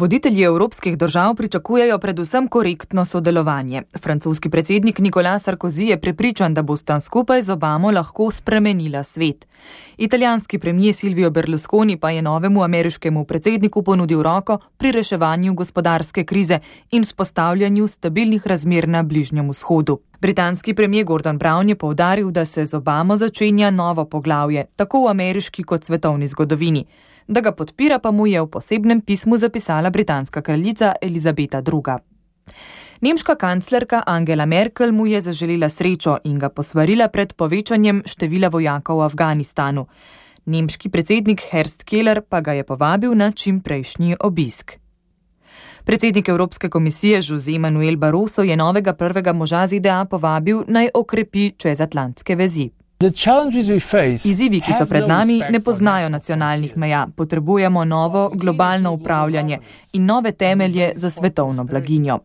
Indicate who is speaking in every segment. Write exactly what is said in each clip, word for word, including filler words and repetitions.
Speaker 1: Voditelji evropskih držav pričakujejo predvsem korektno sodelovanje. Francoski predsednik Nicolas Sarkozy je prepričan, da bosta skupaj z Obamo lahko spremenila svet. Italijanski premier Silvio Berlusconi pa je novemu ameriškemu predsedniku ponudil roko pri reševanju gospodarske krize in vzpostavljanju stabilnih razmer na Bližnjem vzhodu. Britanski premier Gordon Brown je poudaril, da se z Obamo začenja novo poglavje, tako v ameriški kot svetovni zgodovini. Da ga podpira pa mu je v posebnem pismu zapisala britanska kraljica Elizabeta druga. Nemška kanclerka Angela Merkel mu je zaželela srečo in ga posvarila pred povečanjem števila vojakov v Afganistanu. Nemški predsednik Horst Köhler pa ga je povabil na čimprejšnji obisk. Predsednik Evropske komisije José Manuel Barroso je novega prvega moža Z D A povabil naj okrepi čezatlantske vezi. Izzivi, ki so pred nami, ne poznajo nacionalnih meja. Potrebujemo novo globalno upravljanje in nove temelje za svetovno blaginjo.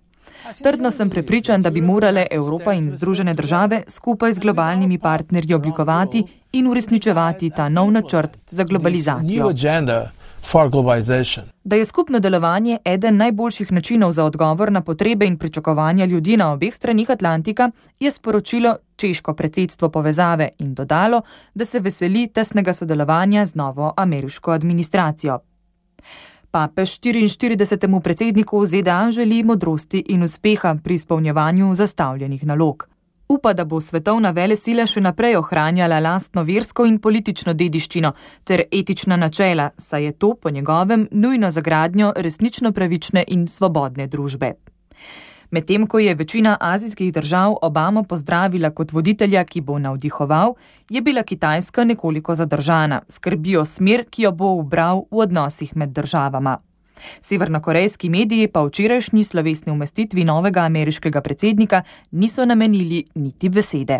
Speaker 1: Trdno sem prepričan, da bi morale Evropa in Združene države skupaj z globalnimi partnerji oblikovati in uresničevati ta nov načrt za globalizacijo. Da je skupno delovanje eden najboljših načinov za odgovor na potrebe in pričakovanja ljudi na obeh stranih Atlantika, je sporočilo češko predsedstvo povezave in dodalo, da se veseli tesnega sodelovanja z novo ameriško administracijo. Papež štiriinštiridesetemu predsedniku Z D A želi modrosti in uspeha pri izpolnjevanju zastavljenih nalog. Upa, da bo svetovna velesila še naprej ohranjala lastno versko in politično dediščino ter etična načela, saj je to po njegovem nujno za gradnjo resnično pravične in svobodne družbe. Medtem ko je večina azijskih držav Obamo pozdravila kot voditelja, ki bo navdihoval, je bila Kitajska nekoliko zadržana, skrbijo smer, ki jo bo ubral v odnosih med državama. Severnokorejski mediji pa včerajšnji slovesni umestitvi novega ameriškega predsednika niso namenili niti besede.